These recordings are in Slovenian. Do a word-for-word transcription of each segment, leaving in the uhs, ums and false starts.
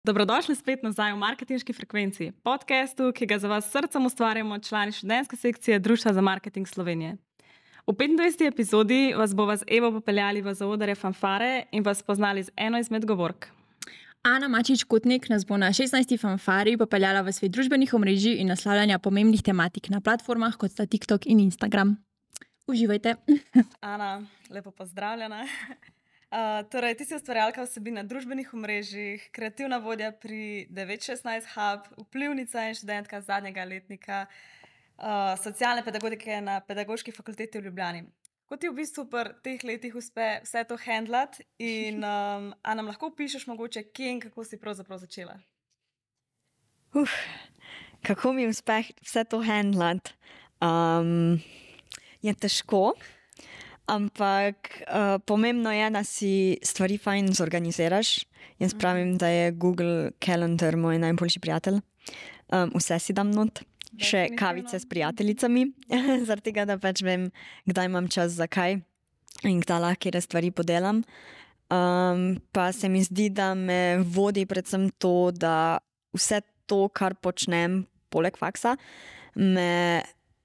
Dobrodošli spet nazaj v Marketinški frekvenci, podkastu, ki ga za vas s srcem ustvarjamo člani študentske sekcije Društva za marketing Slovenije. V petindvajseti epizodi vas bova z Evo popeljali v zaodrje fanfare in vas spoznali z eno izmed govork. Ana Mačič-Kotnik nas bo na šestnajsti fanfari popeljala v svet družbenih omrežij in naslavljanja pomembnih tematik na platformah, kot sta TikTok in Instagram. Uživajte! Ana, lepo pozdravljena. Uh, torej, ti si ustvarjalka vsebin na družbenih omrežjih, kreativna vodja pri devet šestnajst Hub, vplivnica in študentka zadnjega letnika uh, socialne pedagogike na Pedagoški fakulteti v Ljubljani. Kako ti v bistvu pri teh letih uspe vse to handlati in um, a nam lahko opišeš mogoče, kje in kako si pravzaprav začela? Uf, kako mi uspe vse to handlati? Um, je težko. Ampak uh, pomembno je, da si stvari fajn zorganiziraš. Jaz pravim, da je Google Calendar moj najboljši prijatelj. Um, vse si dam not, še kavice s prijateljicami, zaradi tega, da pač vem, kdaj imam čas za kaj in kdaj lahko kjer stvari podelam. Um, pa se mi zdi, da me vodi predvsem to, da vse to, kar počnem poleg faksa, me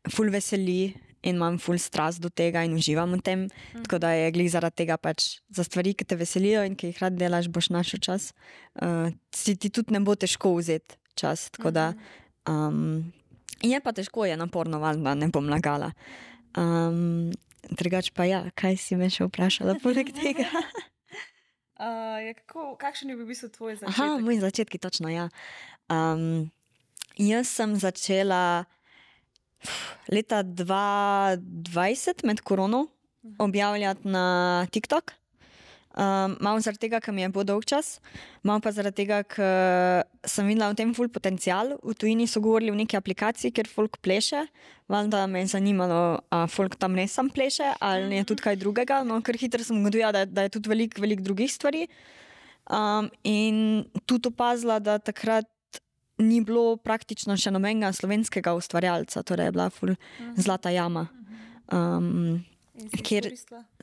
ful veseli in imam ful strast do tega in uživam v tem, mm. tako da je glih zaradi tega pač za stvari, ki te veselijo in ki jih rad delaš, boš našel čas. Uh, si ti tudi ne bo težko vzeti čas, tako da um, je pa težko, je naporno, valjda, ne bom lagala. Um, drugač pa ja, kaj si me še vprašala poleg tega? uh, je kako, kakšen je v bistvu tvoj začetek? Aha, moj začetki, točno, ja. Um, jaz sem začela leta dva dvajset med korono objavljati na TikTok. Um, malo zaradi tega, ker mi je bo dolg čas, malo pa zaradi tega, ker sem videla v tem ful potencial. V tujini so govorili v neki aplikaciji, kjer folk pleše. Valjda me je zanimalo, a folk tam res sam pleše ali je tudi kaj drugega. No, ker hitro sem ugotovila, da, da je tudi veliko velik drugih stvari. Um, in tudi opazila, da takrat ni bilo praktično še nobenega slovenskega ustvarjalca, torej je bila ful zlata jama. Um, kjer,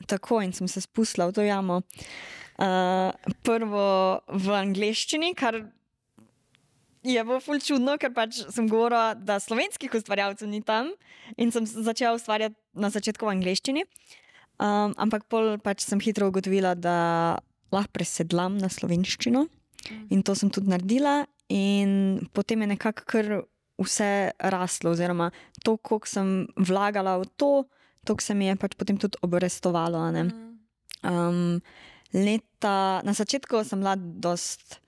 tako, in sem se spustila v to jamo. Uh, prvo v angleščini, kar je bilo ful čudno, ker pač sem govorila, da slovenskih ustvarjalcev ni tam in sem začela ustvarjati na začetku v angleščini. Um, ampak pol pač sem hitro ugotovila, da lahko presedlam na slovenščino in to sem tudi naredila. In potem je nekako kar vse raslo, oziroma to, koliko sem vlagala v to, toliko se mi je pač potem tudi obrestovalo. Ne? Um, leta, na začetku sem bila dost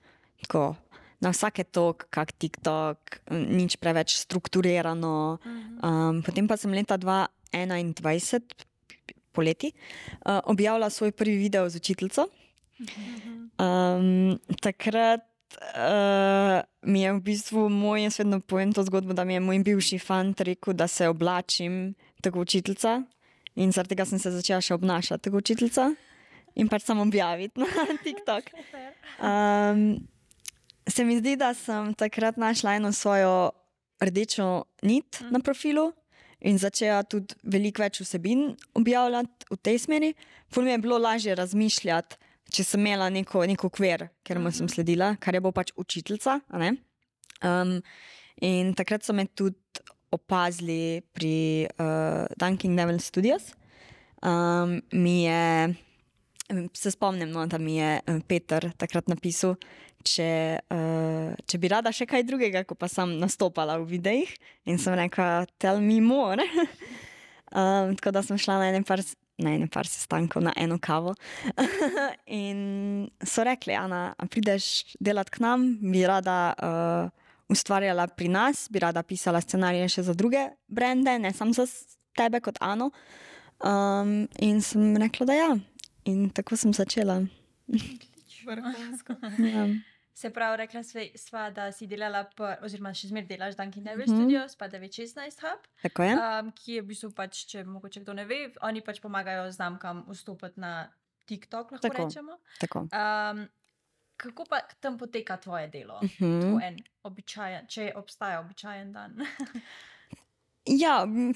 tako, na vsake tok, kak TikTok, nič preveč strukturirano. Um, potem pa sem leta dva enaindvajset, poleti, uh, objavila svoj prvi video z učiteljico. Um, takrat Uh, mi je v bistvu moj, jaz vedno povem to zgodbo, da mi je moj bivši fant rekel, da se oblačim tako učiteljica in zaradi tega sem se začela še obnašati tako učiteljica in pač samo objaviti na TikTok. Um, se mi zdi, da sem takrat našla eno svojo rdečo nit na profilu in začela tudi veliko več vsebin objavljati v tej smeri. Ful mi je bilo lažje razmišljati, če sem imela neko, neko okvir, ker mu sem sledila, kar je bo pač učiteljica. Um, in takrat so me tudi opazili pri uh, Dunking Devil Studios. Um, mi je, se spomnim, no, da mi je Peter takrat napisal, če, uh, če bi rada še kaj drugega, ko pa sem nastopala v videih. In sem rekla, tell me more. um, tako da sem šla na enem par na ene par sestankov, na eno kavo. In so rekli, Ana, prideš delati k nam, bi rada uh, ustvarjala pri nas, bi rada pisala scenarije še za druge brende, ne samo za tebe kot Ano. Um, in sem rekla, da ja. In tako sem začela. Vrhunsko. Ja. Se pravi, rekla sva, da si delala, pa, oziroma še zmer delaš Dunking Devil Studios, pa devet šestnajst Hub, Tako je. um, ki je v bistvu pač, če mogoče kdo ne ve, oni pač pomagajo znamkam vstopati na TikTok, lahko Tako. rečemo. Tako. Um, kako pa tam poteka tvoje delo? Mhm. Tvoj en običajen, če obstaja običajen dan. Ja, m,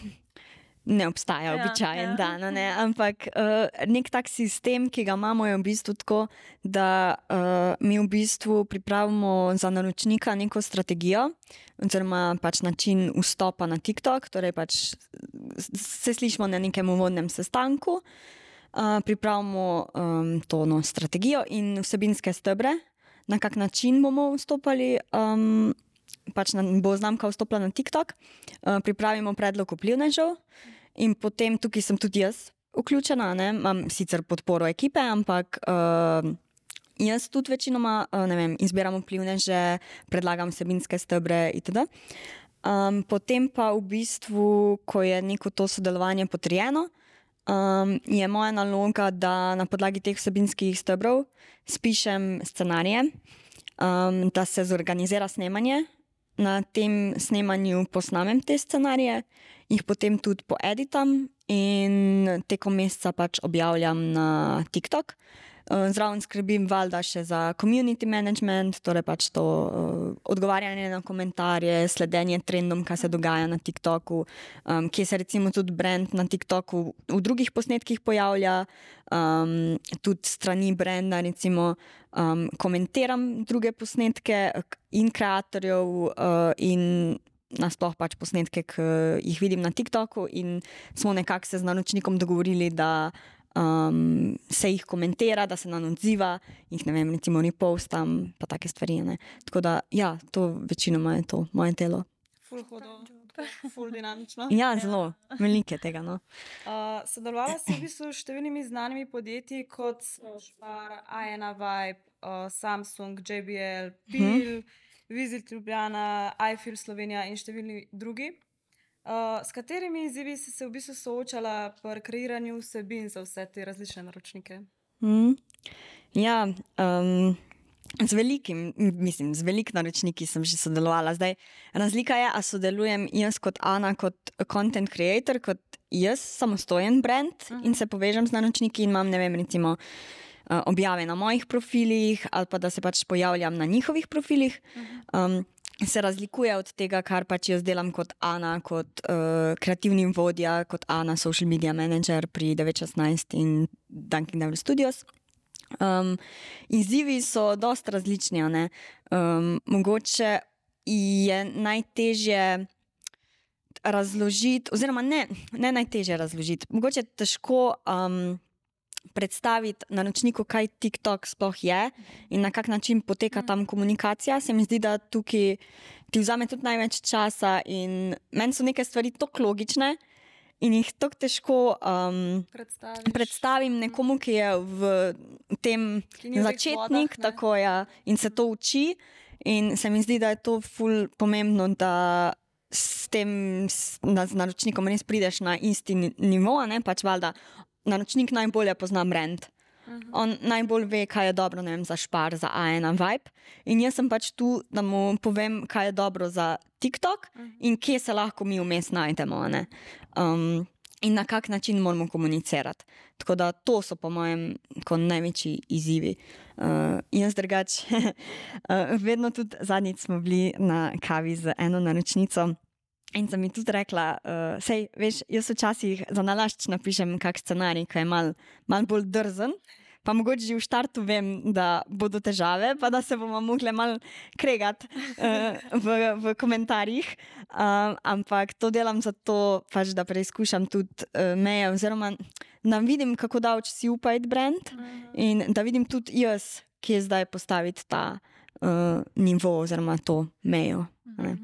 ne obstaja Ja, običajen ja. dan, a ne? Ampak uh, nek tak sistem, ki ga imamo, je v bistvu tako, da uh, mi v bistvu pripravimo za naročnika neko strategijo oziroma pač način vstopa na TikTok, torej pač se slišimo na nekem uvodnem sestanku, uh, pripravimo um, to no, strategijo in vsebinske stebre, na kak način bomo vstopali, um, pač na, bo znamka vstopila na TikTok, uh, pripravimo predlog vplivnežev in potem tukaj sem tudi jaz vključena, ne? Imam sicer podporo ekipe, ampak uh, jaz tudi večinoma, uh, ne vem, izbiram vplivneže, predlagam vsebinske stebre itd. Um, potem pa v bistvu, ko je neko to sodelovanje potrjeno, um, je moja naloga, da na podlagi teh vsebinskih stebrov spišem scenarije, um, da se zorganizira snemanje. Na tem snemanju posnamem te scenarije, jih potem tudi poeditam in tekom meseca pač objavljam na TikTok. Zraven skrbim valjda še za community management, torej pač to uh, odgovarjanje na komentarje, sledenje trendom, kaj se dogaja na TikToku, um, kje se recimo tudi brand na TikToku v drugih posnetkih pojavlja, um, tudi strani branda recimo um, komentiram druge posnetke in kreatorjev uh, in nasploh pač posnetke, ki jih vidim na TikToku in smo nekako se z naročnikom dogovorili, da Um, se jih komentira, da se nam odziva, jih ne vem, recimo repostam, pa take stvari. Ne? Tako da, ja, to večinoma je to moje telo. Ful hodo, ful dinamično. Ja, zelo, veliko je tega. No. Uh, sodelovala si v bistvu s številnimi znanimi podjetji, kot so Špar, A ena Vibe, uh, Samsung, J B L, Pil, Visit Ljubljana, iFilm Slovenija in številni drugi. Uh, s katerimi izzivi si se v bistvu soočala pri kreiranju vsebin za vse te različne naročnike? Mm. Ja, um, z velikim, mislim, z velik naročniki sem že sodelovala. Zdaj, razlika je, a sodelujem jaz kot Ana, kot content creator, kot jaz, samostojen brand uh-huh. in se povežem z naročniki in imam, ne vem, recimo uh, objave na mojih profilih ali pa da se pač pojavljam na njihovih profilih. Uh-huh. Um, se razlikuje od tega, kar pač jaz delam kot Ana, kot uh, kreativni vodja, kot Ana, social media manager pri devet šestnajst in Dunkin' Donuts Studios. Um, izzivi so dosti različni, ne? Um, mogoče je najtežje razložiti, oziroma ne, ne najtežje razložiti, mogoče je težko um, predstaviti naročniku, kaj TikTok sploh je in na kak način poteka tam komunikacija. Se mi zdi, da tukaj ti vzame tudi največ časa in meni so neke stvari tako logične in jih tako težko um, predstavim nekomu, ki je v tem začetnik vodah, tako ja, in se to uči in se mi zdi, da je to ful pomembno, da s tem s, na, z naročnikom res prideš na isti nivo, ne, pač valjda naročnik najbolje pozna brand. Uh-huh. On najbolj ve, kaj je dobro, ne vem, za Špar, za A ena Vibe. In jaz sem pač tu, da mu povem, kaj je dobro za TikTok uh-huh. in kje se lahko mi vmes najdemo. Ne? Um, in na kak način moramo komunicirati. Tako da to so po mojem največji izzivi. Uh, jaz drugač, uh, vedno tudi zadnjič smo bili na kavi z eno naročnico. In sem mi tudi rekla, uh, sej, veš, jaz včasih za nalašč napišem kak scenarij, ki je malo mal bolj drzen, pa mogoče že v štartu vem, da bodo težave, pa da se bomo mogli malo kregati uh, v, v komentarjih. Uh, ampak to delam zato, pač, da preizkušam tudi uh, meje, oziroma da vidim, kako daleč si upajt brand in da vidim tudi jaz, kje zdaj postaviti ta uh, nivo oziroma to mejo. Ne?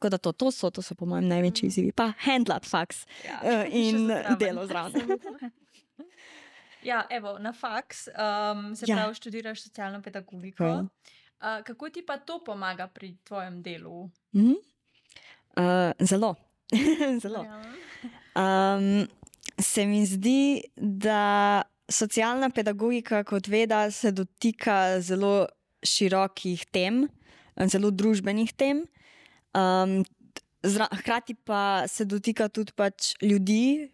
Tako da to, to, so, to so po mojem največji izzivi. Pa handlat faks ja, uh, in delo zraven. Ja, evo, na faks um, se ja. pravi študiraš socialno pedagogiko. Okay. Uh, kako ti pa to pomaga pri tvojem delu? Mm-hmm. Uh, zelo. zelo. Um, se mi zdi, da socialna pedagogika kot veda se dotika zelo širokih tem, zelo družbenih tem. Um, zra, hkrati pa se dotika tudi pač ljudi,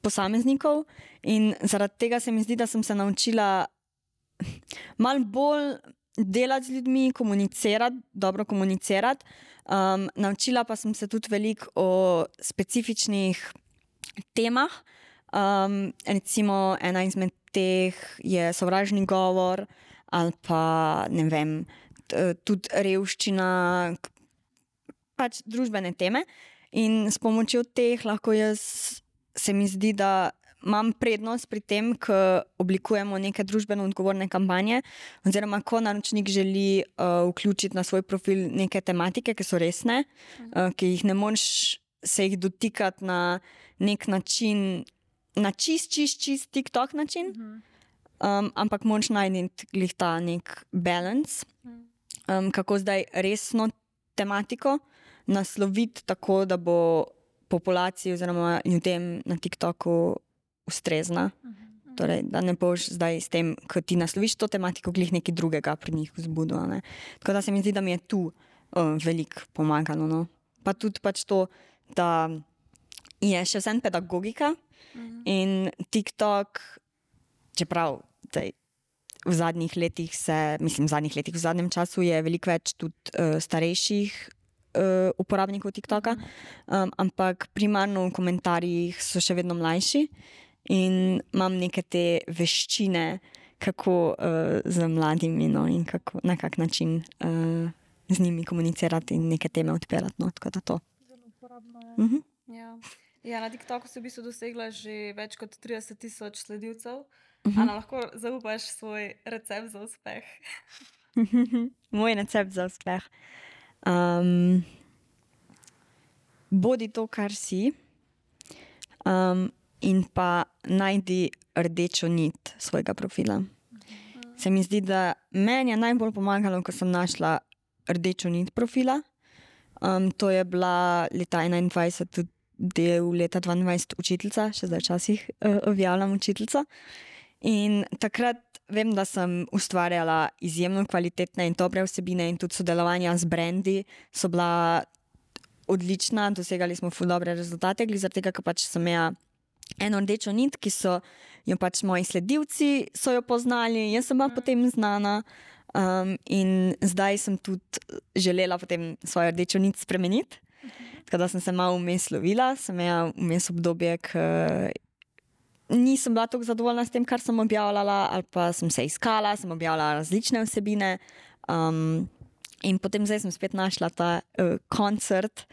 posameznikov in zaradi tega se mi zdi, da sem se naučila malo bolj delati z ljudmi, komunicirati, dobro komunicirati. Um, naučila pa sem se tudi veliko o specifičnih temah. Um, recimo ena izmed teh je sovražni govor ali pa ne vem, tudi revščina, pač družbene teme. In s pomočjo teh lahko jaz, se mi zdi, da imam prednost pri tem, ko oblikujemo neke družbeno odgovorne kampanje, oziroma ko naročnik želi uh, vključiti na svoj profil neke tematike, ki so resne, uh, ki jih ne moreš se jih dotikati na nek način, na čist, čist, čist TikTok način, um, ampak moraš najti glih ta nek balance, um, kako zdaj resno tematiko nasloviti tako, da bo populaciji oziroma ljudem na TikToku ustrezna. Torej, da ne boš zdaj s tem, ko ti nasloviš to tematiko, glih nekaj drugega pri njih vzbudil. Ne? Tako da se mi zdi, da mi je tu uh, veliko pomagalo. No? Pa tudi pač to, da je še vsem pedagogika in TikTok, čeprav zdaj, v zadnjih letih se, mislim v zadnjih letih, v zadnjem času je veliko več tudi uh, starejših uh, uporabnikov TikToka, um, ampak primarno v komentarjih so še vedno mlajši in imam neke te veščine, kako uh, z mladimi, no, in kako, na kak način uh, z njimi komunicirati in neke teme odpirati. No, tako da to. Zelo uporabno je. Uh-huh. Ja. Ja, na TikToku si v bistvu dosegla že več kot trideset tisoč sledilcev. Uh-huh. Ana, lahko zaupaš svoj recept za uspeh? Moj recept za uspeh. Um, bodi to, kar si, um, in pa najdi rdečo nit svojega profila. Uh-huh. Se mi zdi, da meni je najbolj pomagalo, ko sem našla rdečo nit profila. Um, to je bila leta enaindvajset tudi del leta dvaindvajset učiteljica, še zdaj včasih uh, objavljam učiteljica. In takrat vem, da sem ustvarjala izjemno kvalitetne in dobre vsebine in tudi sodelovanja z brendi so bila odlična, dosegali smo ful dobre rezultate, glede zaradi tega, ker pač sem imela eno rdečo nit, ki so jo pač moji sledilci so jo poznali, jaz sem bila potem znana. Um, in zdaj sem tudi želela potem svojo rdečo nit spremeniti. Tako da sem se malo vmes lovila, sem imela vmes obdobje, ko nisem bila tako zadovoljna s tem, kar sem objavljala, ali pa sem se iskala, sem objavljala različne vsebine. Um, in potem zdaj sem spet našla ta uh, koncert,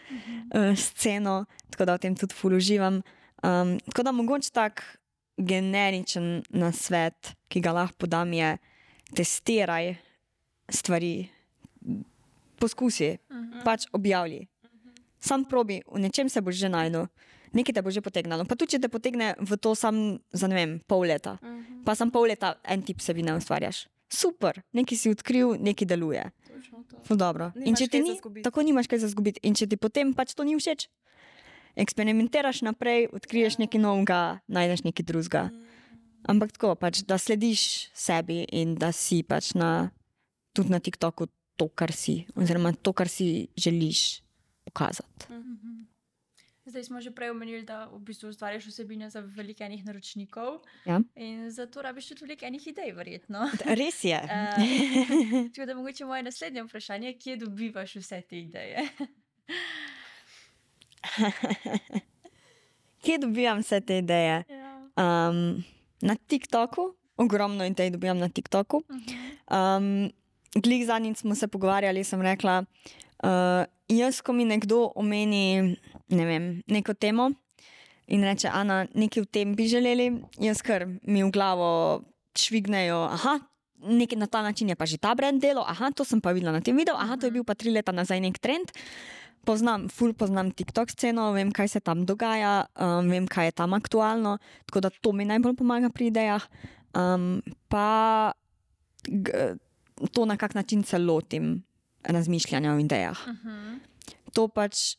uh, sceno, tako da v tem tudi ful uživam. Um, tako da mogoče tak generičen nasvet, ki ga lahko podam, je testiraj stvari, poskusi, uh-huh. pač objavlji. Uh-huh. Sam probi, v nečem se boš že najdel, nekaj te bo že potegnalo. Pa tudi, če te potegne v to sam za, ne vem, pol leta, uh-huh. pa sam pol leta en tip vsebine ustvarjaš. Super, nekaj si odkril, nekaj deluje. Ful dobro. In če ti ni, tako nimaš kaj za zgubiti. In če ti potem pač to ni všeč, eksperimentiraš naprej, odkriješ yeah. nekaj novega, najdeš nekaj drugega. Uh-huh. Ampak tako, pač, da slediš sebi in da si pač na, tudi na TikToku to, kar si, oziroma to, kar si želiš pokazati. Mm-hmm. Zdaj smo že prej omenili, da v bistvu ustvarjaš vsebine za veliko enih naročnikov. Ja. In zato rabiš tudi veliko enih idej, verjetno. Res je. uh, tako da mogoče moje naslednje vprašanje, kje dobivaš vse te ideje? Kje dobivam vse te ideje? Ja. Um, na TikToku, ogromno idej dobijam na TikToku. Um, glih zadnjič smo se pogovarjali, sem rekla, uh, jaz, ko mi nekdo omeni, ne vem, neko temo in reče, Ana, nekaj v tem bi želeli, jaz kar mi v glavo švignejo, aha, nekaj na ta način je pa že ta brand delo, aha, to sem pa videla na tem videu, aha, to je bil pa tri leta nazaj nek trend. Poznam, ful poznam TikTok sceno, vem, kaj se tam dogaja, um, vem, kaj je tam aktualno, tako da to mi najbolj pomaga pri idejah. Um, pa g, to, na kak način se lotim razmišljanja o idejah. Uh-huh. To pač,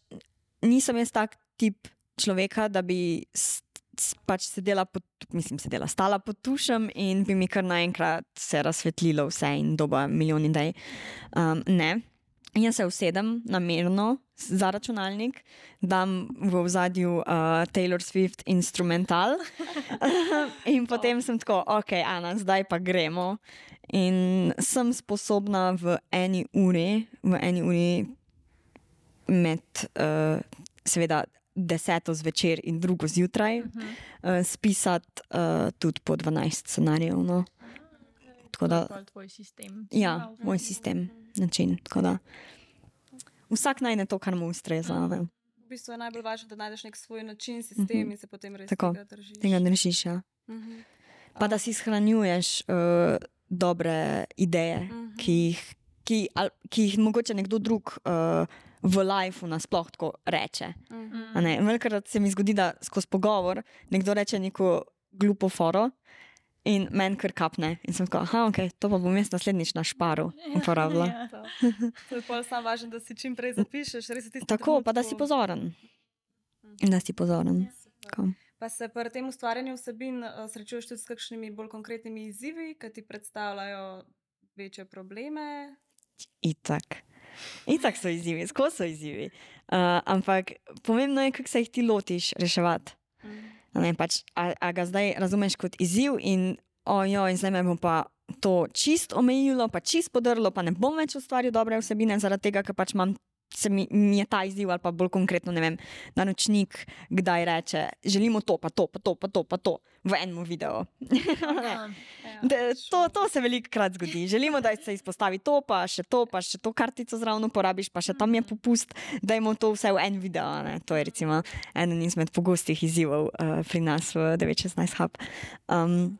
nisem jaz tak tip človeka, da bi s, s, pač sedela, pod, mislim, sedela, stala pod tušem in bi mi kar naenkrat se razsvetlilo vse in doba milijon idej. Um, ne. Jaz se usedem namerno za računalnik, dam v ozadju uh, Taylor Swift instrumental in potem sem tako, ok, Ana, zdaj pa gremo. In sem sposobna v eni uri, v eni uri med, uh, seveda, deseto zvečer in drugo zjutraj, uh -huh. uh, spisati uh, tudi po dvanajst scenarijev. No. Tako da, to je tvoj sistem. Ja, moj sistem, način. Tako da, vsak najde to, kar mu ustreza. Uh -huh. V bistvu je najbolj važno, da najdeš nek svoj način, sistem uh -huh. in se potem res Tako, tega držiš. Tega držiš, ja. Uh -huh. Pa da si shranjuješ uh, dobre ideje, uh -huh. ki, jih, ki, al, ki jih mogoče nekdo drug uh, v lifeu nasploh tako reče. Uh -huh. Velikrat se mi zgodi, da skozi pogovor nekdo reče neko glupo foro in meni kar kapne. In sem tako, aha, ok, to pa bom jaz naslednjič na šparu uporabila. Ja, to. To je pol sam važno, da si čim prej zapišeš. Res v tistem Tako, trenutku. pa da si pozoren. In da si pozoren. Tako. Pa se pri tem ustvarjanju vsebin uh, srečuješ tudi s kakšnimi bolj konkretnimi izzivi, ki ti predstavljajo večje probleme? Itak. Itak so izzivi, skozi so izzivi. Uh, ampak pomembno je, kako se jih ti lotiš reševati. Mm. Ne, pač, a, a ga zdaj razumeš kot izziv in ojo, in zdaj me bom pa to čist omejilo, pa čist podrlo, pa ne bom več ustvaril dobre vsebine zaradi tega, ker pač imam se mi, mi je ta izziv ali pa bolj konkretno, ne vem, naročnik kdaj reče, želimo to, pa to, pa to, pa to, pa to v enem videu. to, to se velikokrat zgodi. Želimo, da se izpostavi to, pa še to, pa še to kartico zraven uporabiš, pa še tam je popust, dajmo to vse v en video. Ne? To je recimo eden izmed pogostih izzivov uh, pri nas v devet šestnajst Hub. Um,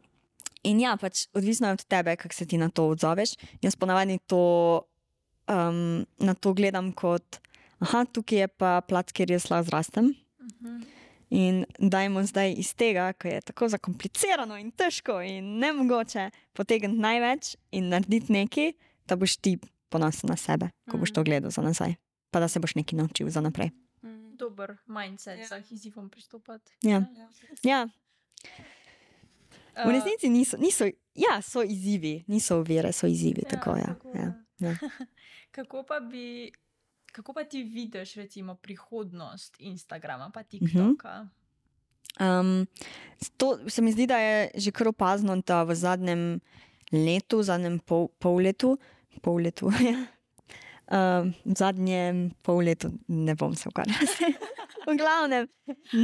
in ja, pač odvisno je od tebe, kako se ti na to odzoveš. Jaz ponavadi to Um, na to gledam kot, aha, tukaj je pa plac, kjer jaz lahko zrastem. Uh-huh. In dajmo zdaj iz tega, ko je tako zakomplicirano in težko in nemogoče potegniti največ in narediti nekaj, da boš ti ponosen na sebe, ko boš to gledal za nazaj. Pa da se boš nekaj naučil za naprej. Uh-huh. Dober mindset ja. Za izzivom pristopati. Ja. Ja. V resnici niso, niso, ja, so izzivi, niso ovire, so izzivi, ja, tako, ja. Tako, ja. Ja. Kako pa bi, kako pa ti vidiš recimo prihodnost Instagrama pa TikToka? Um, to se mi zdi, da je že kar opazno, da v zadnjem letu, v zadnjem pol, pol letu, pol letu, ja. Um, v zadnjem pol letu, ne bom se ukvarjala. V glavnem,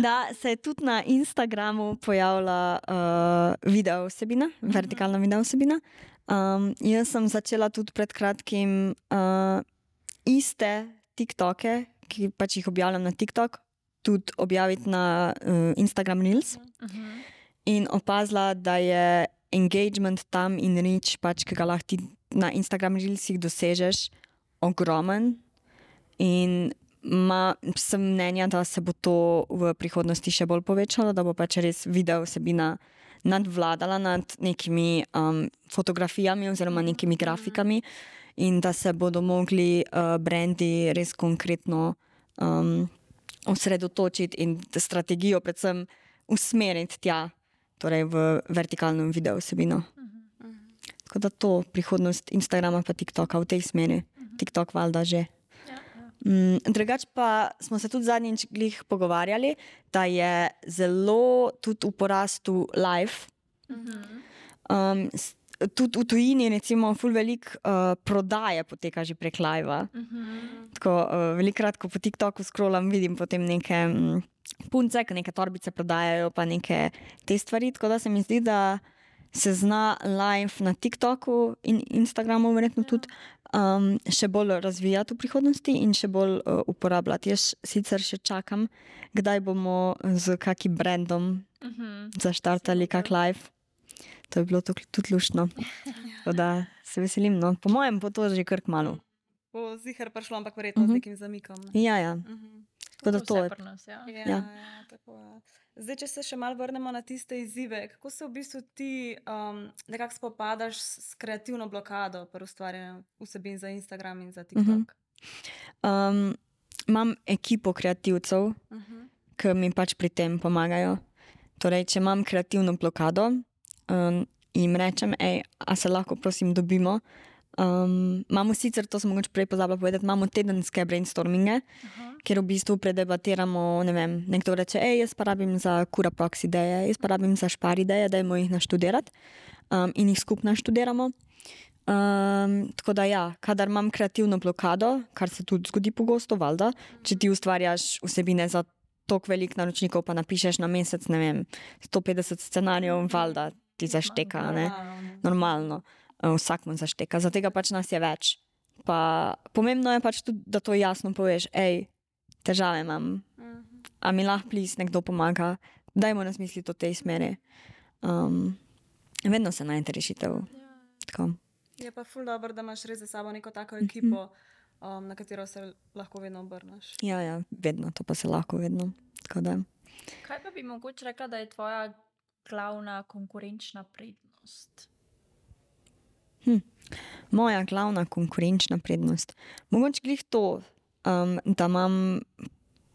da se je tudi na Instagramu pojavila uh, video vsebina, uh-huh. vertikalna video vsebina. Um, jaz sem začela tudi pred kratkim uh, iste TikToke, ki pač jih objavljam na TikTok, tudi objaviti na uh, Instagram Reels. Uh-huh. In opazila, da je engagement tam in reach, pač, ki ga lahko ti na Instagram Reelsih dosežeš, ogromen. In ma, sem mnenja, da se bo to v prihodnosti še bolj povečalo, da bo pač res video vsebina nadvladala nad nekimi um, fotografijami oziroma nekimi grafikami in da se bodo mogli uh, brendi res konkretno um, osredotočiti in strategijo predvsem usmeriti tja, torej v vertikalno video vsebino. Uh-huh. Tako da to prihodnost Instagrama pa TikToka v tej smeri. Uh-huh. TikTok valjda že. Um, drugač pa smo se tudi zadnjič glih pogovarjali, da je zelo tudi v porastu live. Um, tudi v tujini recimo ful velik uh, prodaje poteka že prek live-a. Tako uh, velikrat, ko po TikToku scrollam, vidim potem neke um, punce, ki neke torbice prodajajo, pa neke te stvari, tako da se mi zdi, da se zna live na TikToku in Instagramu verjetno tudi um, še bolj razvijati v prihodnosti in še bolj uh, uporabljati. Jaz sicer še čakam, kdaj bomo z kakim brandom uh-huh. zaštartali kak live. To je bilo tudi luštno. Tako da se veselim. No. Po mojem bo to že kar kmalu. Bo ziher prišlo, ampak verjetno uh-huh. z nekim zamikom. Ne? Ja, ja. Uh-huh. Tako da to je. Nas, ja. Ja, ja. Ja, tako je. Zdaj, če se še malo vrnemo na tiste izzive, kako se v bistvu ti um, nekako spopadaš s kreativno blokado pri ustvarjanju vsebin za Instagram in za TikTok? Uh-huh. Um, imam ekipo kreativcev, uh-huh. ki mi pač pri tem pomagajo. Torej, če imam kreativno blokado, um, jim rečem, ej, a se lahko prosim dobimo. Um, imamo sicer, to sem mogoče prej pozabila povedati, imamo tedenske brainstorminge, uh-huh. kjer v bistvu predebatiramo, ne vem, nekdo reče, ej, jaz pa rabim za Curaprox ideje, jaz pa rabim za Špar ideje, dajmo jih naštudirati um, in jih skupno študiramo. Um, tako da ja, kadar imam kreativno blokado, kar se tudi zgodi pogosto, valjda, če ti ustvarjaš vsebine za toliko velik naročnikov, pa napišeš na mesec, ne vem, sto petdeset scenarijev, valjda ti zašteka, ne? Normalno. Vsak mu zašteka, zato pač nas je več. Pa pomembno je pač tudi, da to jasno poveš, ej, težave imam, a mi lahko plis nekdo pomaga, dajmo nas misliti o tej smeri. Um, vedno se najde rešitev. Tako. Je pa ful dobro, da imaš res za sabo neko tako ekipo, um, na katero se lahko vedno obrneš. Ja, ja, vedno, to pa se lahko vedno. Tako da. Kaj pa bi mogoče rekla, da je tvoja glavna konkurenčna prednost? Hm. Moja glavna konkurenčna prednost. Mogoče glih to, um, da imam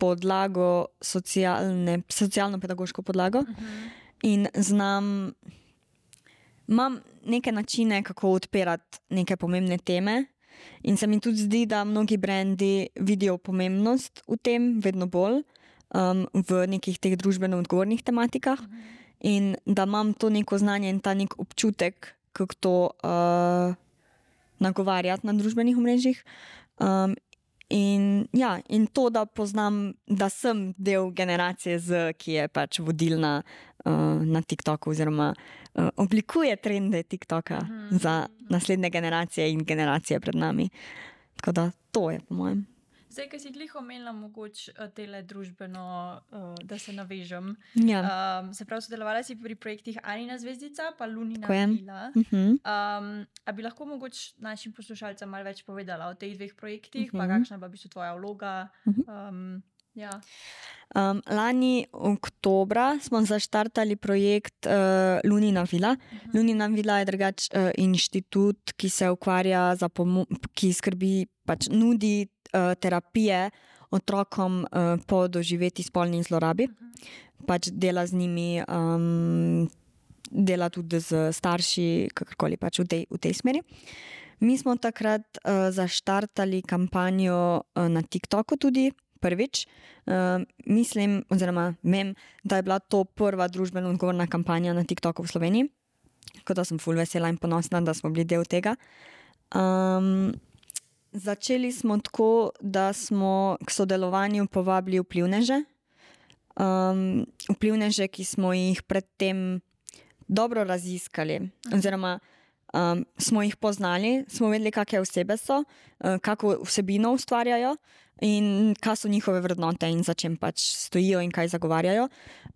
podlago, socialne, socialno-pedagoško podlago uh-huh. in znam, imam neke načine, kako odpirati neke pomembne teme in se mi tudi zdi, da mnogi brendi vidijo pomembnost v tem, vedno bolj, um, v nekih teh družbeno odgovornih tematikah uh-huh. in da imam to neko znanje in ta nek občutek, kako to uh, nagovarjati na družbenih omrežjih. Um, in, ja, in to, da poznam, da sem del generacije Z, ki je pač vodilna uh, na TikToku oziroma uh, oblikuje trende TikToka mm. za naslednje generacije in generacije pred nami. Tako da to je po mojem. Zdaj, ki si glih omenila mogoče tele družbeno, uh, da se navežem. Ja. Um, se pravi, sodelovala si pri projektih Anina zvezdica, pa Lunina vila. Uh-huh. Um, a bi lahko mogoče našim poslušalcem malo več povedala o teh dveh projektih, uh-huh. pa kakšna pa bi so tvoja vloga? Uh-huh. Um, ja. um, lani oktobra smo zaštartali projekt uh, Lunina vila. Uh-huh. Lunina vila je drugač uh, inštitut, ki se ukvarja, za pomo- ki skrbi, pač nudi terapije otrokom uh, po doživeti spolni zlorabi. Uh-huh. Pač dela z njimi, um, dela tudi z starši, kakorkoli pač v tej, v tej smeri. Mi smo takrat uh, zaštartali kampanjo uh, na TikToku tudi prvič. Uh, mislim, oziroma vem, da je bila to prva družbeno odgovorna kampanja na TikToku v Sloveniji. Tako da sem ful vesela in ponosna, da smo bili del tega. Um, Začeli smo tako, da smo k sodelovanju povabili vplivneže. Um, vplivneže, ki smo jih predtem dobro raziskali, oziroma um, smo jih poznali, smo vedeli, kakšne osebe so, uh, kako vsebino ustvarjajo in kaj so njihove vrednote in za čem pač stojijo in kaj zagovarjajo.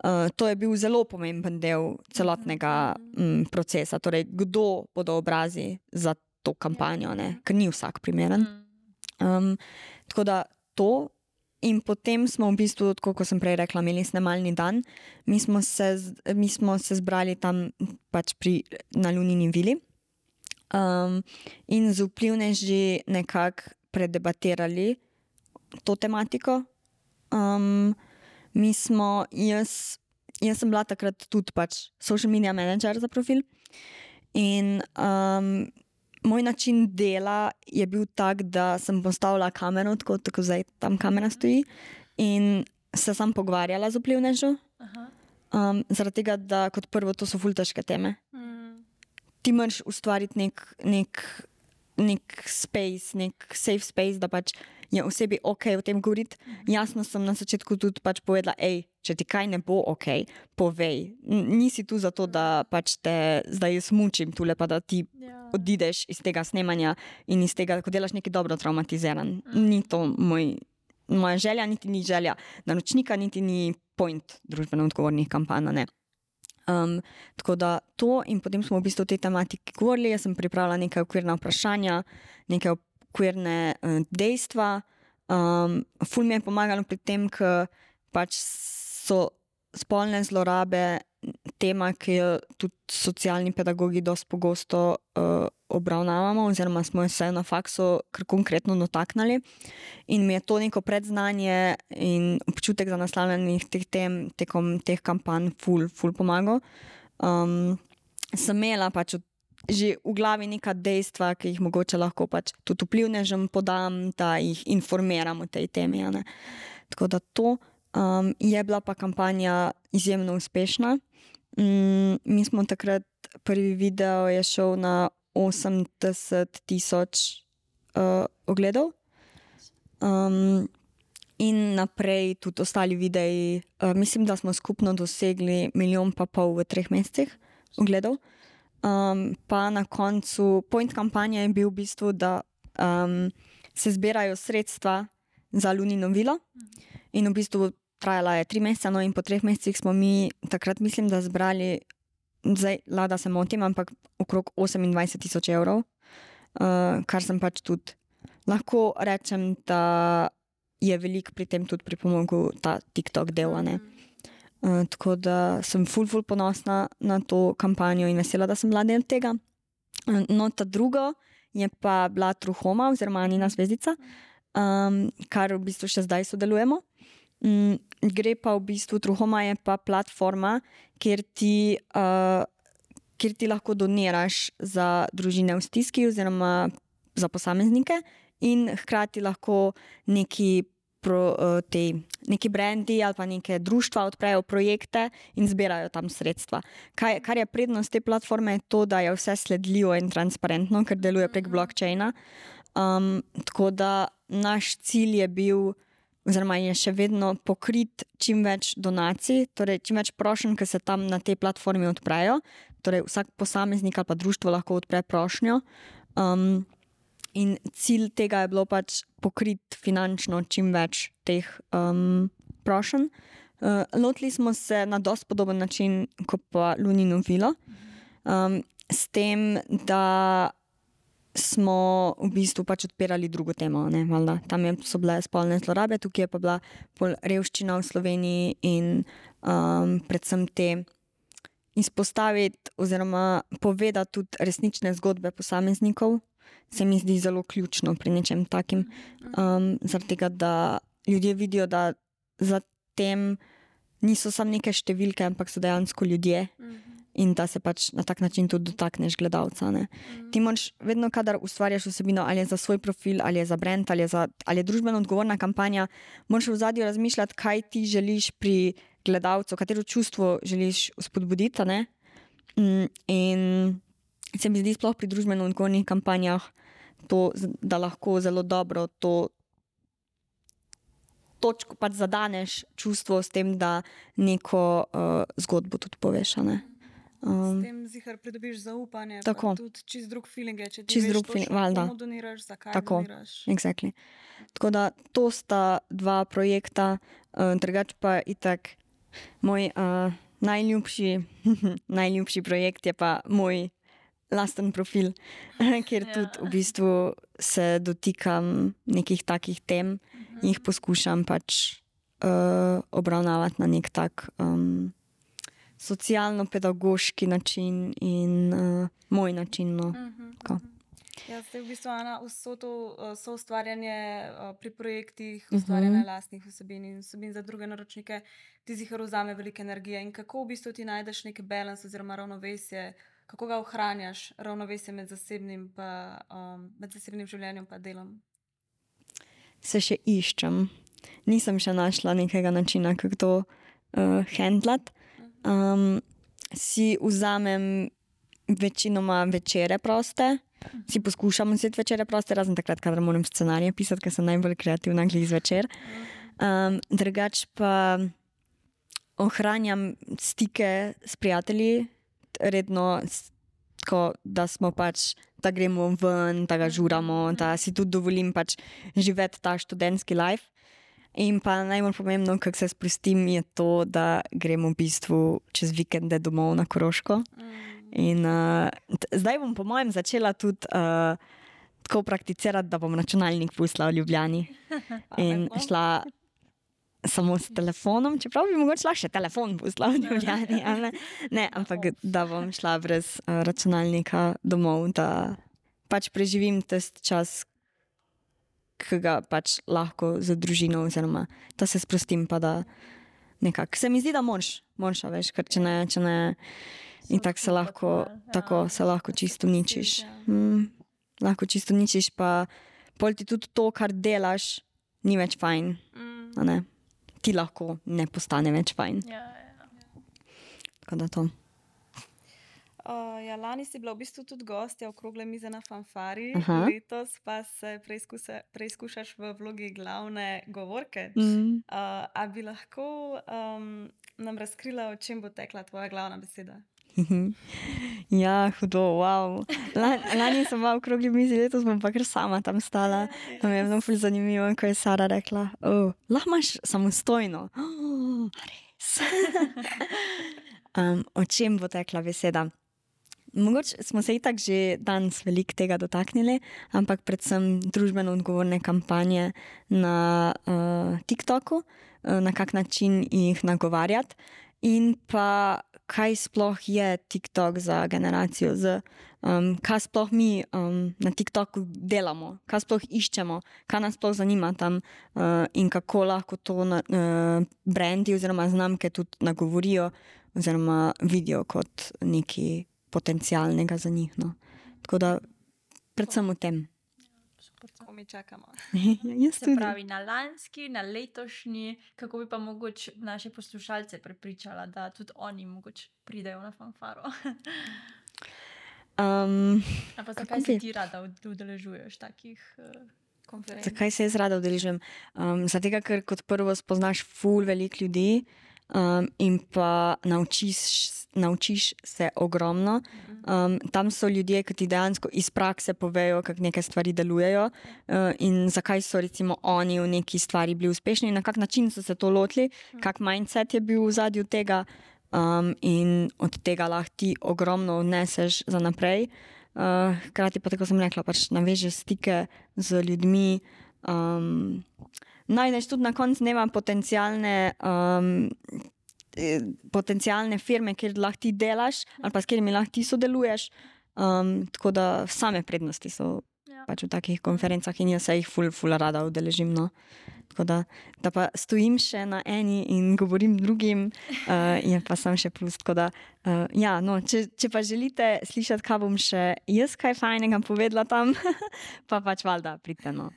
Uh, to je bil zelo pomemben del celotnega um, procesa, torej kdo bodo obrazi za to kampanjo, ne? Ker ni vsak primeren. Um, tako da to in potem smo v bistvu, tako kot sem prej rekla, imeli snemalni dan. Mi smo se, mi smo se zbrali tam pač pri, na Lunini vili um, in z vplivneži nekako predebatirali to tematiko. Um, mi smo, jaz, jaz sem bila takrat tudi pač social media manager za profil in um, moj način dela je bil tak, da sem postavila kamero, tako, tako zdaj tam kamera stoji in se sam pogovarjala z vplivnežo. Um, zaradi tega, da kot prvo to so ful težke teme. Mm. Ti moraš ustvariti nek, nek, nek space, nek safe space, da pač je osebi ok o tem govoriti. Mm-hmm. Jasno sem na začetku tudi pač povedala, ej, če ti kaj ne bo ok, povej. Nisi tu zato, da pač te zdaj jaz mučim tule, pa da ti yeah. odideš iz tega snemanja in iz tega, ko delaš nekaj dobro traumatiziran. Mm. Ni to moj, moja želja, niti ni želja naročnika, niti ni point družbeno odgovornih kampanj, ne. Um, tako da to in potem smo v bistvu o tej tematiki govorili, jaz sem pripravila nekaj okvirna vprašanja, nekaj okvirne uh, dejstva. Um, ful mi je pomagalo pri tem, ker pač so spolne zlorabe tema, ki jo tudi socialni pedagogi dosti pogosto uh, obravnavamo oziroma smo se na faksu kar konkretno dotaknili in mi je to neko predznanje in občutek za naslavljanje teh tem tekom teh kampanj ful, ful pomagal. Um, sem imela pač že v glavi neka dejstva, ki jih mogoče lahko pač tudi vplivnežem podam, da jih informiram o tej temi. Ne? Tako da to Um, je bila pa kampanja izjemno uspešna. Um, mi smo takrat, prvi video je šel na osemdeset tisoč uh, ogledov. Um, in naprej tudi ostali videi. Uh, mislim, da smo skupno dosegli milijon pa pol v treh mesecih ogledov. Um, pa na koncu point kampanje je bil v bistvu, da um, se zbirajo sredstva za Lunino vilo in v bistvu trajala je tri mesece, no in po treh mesecih smo mi takrat mislim, da zbrali, zdaj lada se motim, ampak okrog osemindvajset tisoč evrov, uh, kar sem pač tudi lahko rečem, da je veliko pri tem tudi pripomogel ta TikTok del, ne. Uh, tako da sem ful, ful ponosna na to kampanjo in vesela, da sem bila del tega. Uh, no, ta drugo je pa bila Truhoma oziroma Anina zvezdica, um, kar v bistvu še zdaj sodelujemo. Um, gre pa v bistvu, Truhoma je pa platforma, kjer ti, uh, kjer ti lahko doniraš za družine v stiski oziroma za posameznike in hkrati lahko neki Pro, uh, te, neki brendi ali pa neke društva odprejo projekte in zbirajo tam sredstva. Kaj, kar je prednost te platforme, je to, da je vse sledljivo in transparentno, ker deluje prek blockchaina. Um, tako da naš cilj je bil, oziroma je še vedno pokrit čim več donacij, torej čim več prošenj, ki se tam na tej platformi odprejo. Torej vsak posameznik ali pa društvo lahko odpre prošnjo. Um, In cilj tega je bilo pač pokriti finančno čim več teh um, prošenj. Uh, lotili smo se na dosti podoben način kot pa Lunino vilo. Um, s tem, da smo v bistvu pač odpirali drugo temo. Ne, valjda. Tam je, so bile spolne zlorabe, tukaj je pa bila pol revščina v Sloveniji in um, predvsem te izpostaviti oziroma povedati tudi resnične zgodbe posameznikov. Se mi zdi zelo ključno pri nečem takim, um, zaradi tega, da ljudje vidijo, da za tem niso samo neke številke, ampak so dejansko ljudje in da se pač na tak način tudi dotakneš gledalca. Ne. Ti moraš vedno, kadar ustvarjaš vsebino, ali je za svoj profil, ali je za brand, ali je, za, ali je družbeno odgovorna kampanja, moraš v zadju razmišljati, kaj ti želiš pri gledalcu, katero čustvo želiš spodbuditi. Ne. In se mi zdi sploh pri družbeno odgovornih kampanjah to, da lahko zelo dobro to točko pač zadaneš čustvo s tem, da neko uh, zgodbo tudi poveš. Ne? Um, s tem zihar pridobiš zaupanje, tako. Pa tudi čist drug feeling je, če ti čist veš drug točno, feeling, komu doniraš, zakaj tako. doniraš. Exactly. Tako da to sta dva projekta, uh, drugač pa itak moj uh, najljubši, najljubši projekt je pa moj lasten profil, kjer ja. Tudi v bistvu se dotikam nekih takih tem in jih poskušam pač uh, obravnavati na nek tak um, socialno-pedagoški način in uh, moj način. No. Uh-huh. Ja, zdaj v bistvu, Ana, vso to uh, soustvarjanje uh, pri projektih, ustvarjanje uh-huh. lastnih vsebin in vsebin za druge naročnike, ti zihar vzame veliko energije in kako v bistvu ti najdeš neki balans oziroma ravnovesje, kako ga ohranjaš, ravnovesje med zasebnim, pa, um, med zasebnim življenjem pa delom? Se še iščem. Nisem še našla nekega načina, kako to uh, handlati. Um, si vzamem večinoma večere proste, si poskušam vzeti večere proste, razen takrat, kadar moram scenarije pisati, ker sem najbolj kreativna glih zvečer. Um, drugač pa ohranjam stike s prijatelji, redno, tako, da smo pač, da gremo ven, da ga žuramo, da si tudi dovolim pač živeti ta študentski life. In pa najbolj pomembno, kako se sprostim, je to, da gremo v bistvu čez vikende domov na Koroško. In uh, t- zdaj bom po mojem začela tudi uh, tako prakticirati, da bom računalnik pustila v Ljubljani. In šla samo s telefonom, čeprav bi mogoče šla še telefon pustila v Ljubljani, ne? Ne, ampak da bom šla brez uh, računalnika domov, da pač preživim tisti čas, ki ga pač lahko z družino, oziroma da se sprostim, pa da nekako. Se mi zdi, da moraš, moraš, veš, ker če ne, če ne, in tako se lahko, tako se lahko čisto uničiš. Mm, lahko čisto uničiš, pa pol ti tudi to, kar delaš, ni več fajn, a ne? Ti lahko ne postane več fajn. Ja, ja. Tako da to. Uh, ja, lani si bila v bistvu tudi gostja okrogle mize na Fanfari, Aha. letos pa se preizkuse, preizkušaš v vlogi glavne govorke. Mm. Uh, a bi lahko um, nam razkrila, o čem bo tekla tvoja glavna beseda? Ja, hudo, wow. Lan, lani sem bila v okrogli mizi, letos bom pa kar sama tam stala. To mi je bilo ful zanimivo, ko je Sara rekla, oh, lahko imaš samostojno. Oh, res. um, o čem bo tekla beseda? Mogoče smo se itak že danes veliko tega dotaknili, ampak predvsem družbeno odgovorne kampanje na uh, TikToku, uh, na kak način jih nagovarjati in pa kaj sploh je TikTok za generacijo Z, um, kaj sploh mi um, na TikToku delamo, kaj sploh iščemo, kaj nas sploh zanima tam uh, in kako lahko to na, uh, brendi oziroma znamke tudi nagovorijo oziroma vidijo kot nekaj potencialnega za njih. No. Tako da predvsem v tem. Tako mi čakamo. Ja, jaz Se tudi. pravi, na lanski, na letošnji, kako bi pa mogoče naše poslušalce prepričala, da tudi oni mogoče pridejo na Fanfaro. Um, A pa Kako zakaj se bi- ti rada ud- udeležuješ takih uh, konferenc? Zakaj se jaz rada udeležujem? Um, zato, ker kot prvo spoznaš ful veliko ljudi um, in pa naučiš, naučiš se ogromno. Um, tam so ljudje, ki ti dejansko iz prakse povejo, kako neke stvari delujejo uh, in zakaj so recimo oni v neki stvari bili uspešni, na kak način so se to lotili, kak mindset je bil v zadju tega um, in od tega lahko ti ogromno odneseš za naprej. Uh, hkrati pa, tako sem rekla, pač navežeš stike z ljudmi, um, najdeš tudi na koncu dneva potencialne, um, eh, potencialne firme, kjer lahko ti delaš ali pa s katerimi lahko ti sodeluješ. Um, tako da same prednosti so Ja. pač v takih konferencah in jaz se jih ful, ful rada udeležim. No. Tako da, da pa stojim še na eni in govorim drugim, uh, je pa sem še plus. Tako da, uh, ja, no, če, če pa želite slišati, kaj bom še jaz kaj fajnega povedala tam, pa pač valjda pridite. No.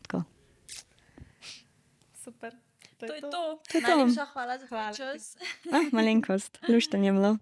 Tako. Super. To je to. To je to. Najlepša hvala za Hvala tvoj ti. čas. Ah, malenkost, luštanje je bilo.